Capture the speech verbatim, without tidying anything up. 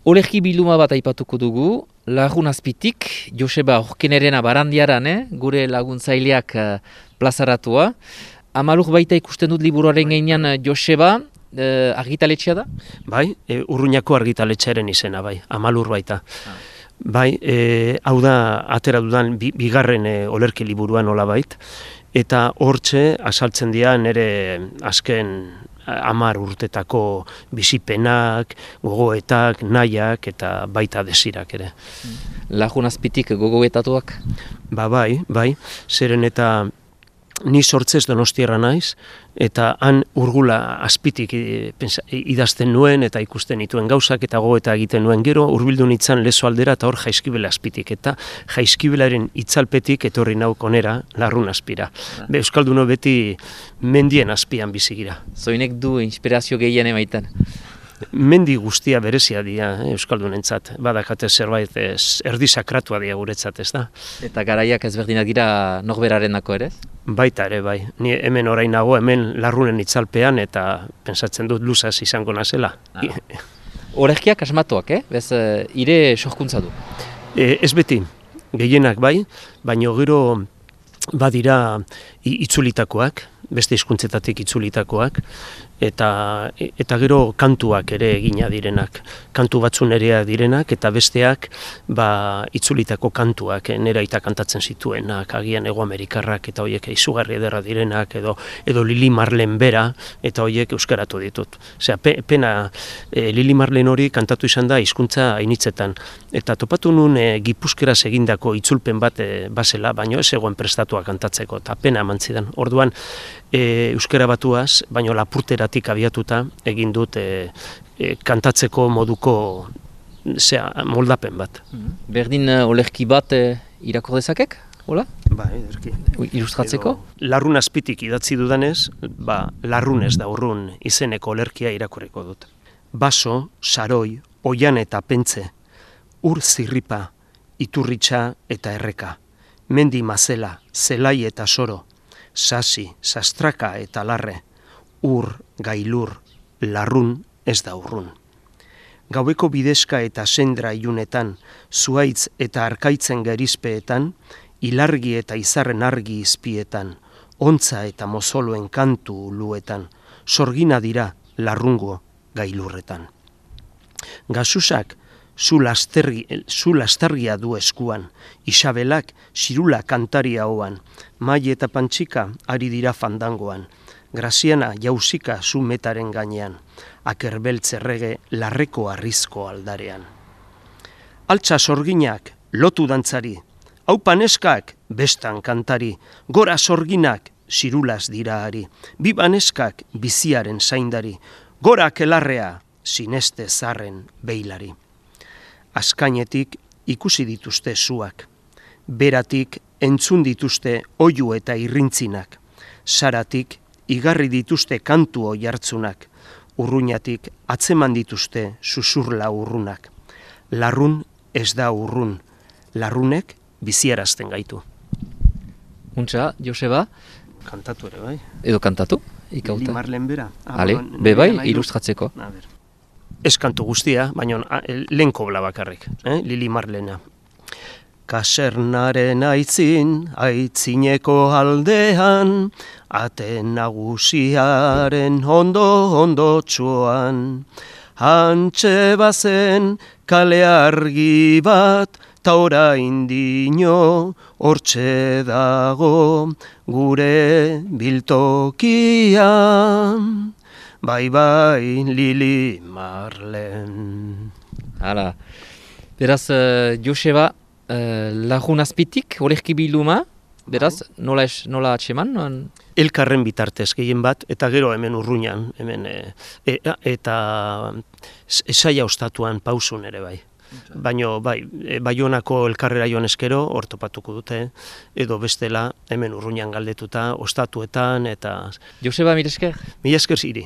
Olerki bilduma bat aipatuko dugu, Lagun Azpitik, Joseba Orkenerena barandiaran, eh? Gure laguntzaileak uh, plazaratua. Amalur baita ikusten dut liburuaren gainean uh, Joseba, uh, argitaletxea da? Bai, e, Urruñako argitaletxearen izena, bai, Amalur baita. Ah. Bai, e, hau da, atera dudan, bi, bigarren e, olerki liburuan nolabait, eta hortxe asaltzen dira nire azken hamar urtetako bizipenak, gogoetak, nahiak eta baita desirak ere. Lagun Azpitik gogoetatuak? Ba bai, bai, zeren eta ni sortzez Donostiarra naiz, eta han Urgula Azpitik idazten nuen eta ikusten nituen gauzak eta gogoeta egiten nuen gero, hurbildu nintzen Lezo aldera eta hor Jaizkibel Azpitik, eta Jaizkibelaren itzalpetik etorri nauk onera Larrun Azpira. Ah. Be, Euskalduno beti mendien azpian bizigira. Zoinek du inspirazio gehien emaitan? Mendi guztia berezia dira eh, Euskaldunentzat, badakate zerbait ez, erdi sakratua dira guretzat, ez da? Eta garaiak ezberdinak dira norberarenako ere? Baita ere, bai. Ni hemen orain nago, hemen Larrunen itzalpean eta pentsatzen dut luzaz izango nazela. Ah. Olerkiak asmatuak, eh? Bez, ire sorkuntza du? E, ez beti, gehienak bai, baina gero badira itzulitakoak, beste hizkuntzetatik itzulitakoak, eta eta gero kantuak ere egina direnak, kantu batzun ere direnak, eta besteak ba, itzulitako kantuak, nera aita kantatzen zituenak, agian Hego Amerikarrak, eta horiek izugarri ederra direnak, edo edo Lili Marlen bera, eta horiek euskaratu ditut. Osea, pe, pena e, Lili Marlen hori kantatu izan da hizkuntza ainitzetan, eta topatu nun e, Gipuzkeraz egindako itzulpen bat e, basela, baino ez egoen prestatua kantatzeko, eta pena eman zidan. Orduan, e, euskara batuaz, baino Lapurteratik abiatuta egin dut e, e, kantatzeko moduko zea, moldapen bat. Berdin uh, olerki bat e, irakor dezakek? Hola? Ba, ederki. Ilustratzeko? Edo, Larrun Azpitik idatzi dudanez, ba, Larrunez da urrun izeneko olerkia irakurriko dut. Baso, saroi, oian eta pentze, ur zirripa, iturritxa eta erreka, mendi mazela, zelai eta soro, sasi, sastraka eta larre, ur, gailur, larrun ez da urrun. Gaueko bidezka eta sendra ilunetan, zuaitz eta arkaitzen gerizpeetan, ilargi eta izarren argi izpietan, ontza eta mozoloen kantu uluetan, sorgina dira larrungo gailurretan. Gasusak zu lastargia du eskuan, Isabelak xirula kantaria hoan, mai eta pantxika ari dira fandangoan, Graziana jauzika zu metaren gainean, akerbeltz errege larreko arrizko aldarean. Altza sorginak lotu dantzari, hau paneskak bestan kantari, gora sorginak xirulaz dira ari, bi baneskak biziaren zaindari, gora kelarrea sineste zarren beilari. Azkainetik ikusi dituzte zuak, beratik entzun dituzte oiu eta irrintzinak, saratik igarri dituzte kantu oihartzunak, urruñatik atzeman dituzte susurla urrunak. Larrun ez da urrun, larrunek biziarazten gaitu. Untxa, Joseba? Kantatu ere, bai. Edo kantatu? Lili Marlen bera. Ale, be bai, ilustratzeko. Ez kantu guztia, baina lehen kobla bakarrik, eh? Lili Marlena. Kasernaren aitzin, aitzineko aldean, ate nagusiaren ondo ondo txuan. Hantxe bazen kale argi bat, ta orain dino hortxe dago gure biltokian. Bai, bai, Lili Marlen. Hala, beraz, uh, Joseba, uh, Lagun Azpitik, olerki bilduma, beraz, nola, es, nola atxeman? Elkarren bitartez gehien bat, eta gero hemen Urruñan, hemen, e, e, eta esaia ostatuan pausun ere bai. Baina, bai, Baionako elkarrera joan eskero, hor topatuko dute, edo bestela, hemen Urruñan galdetuta, ostatuetan, eta... Joseba, mila esker? Mila esker ziri.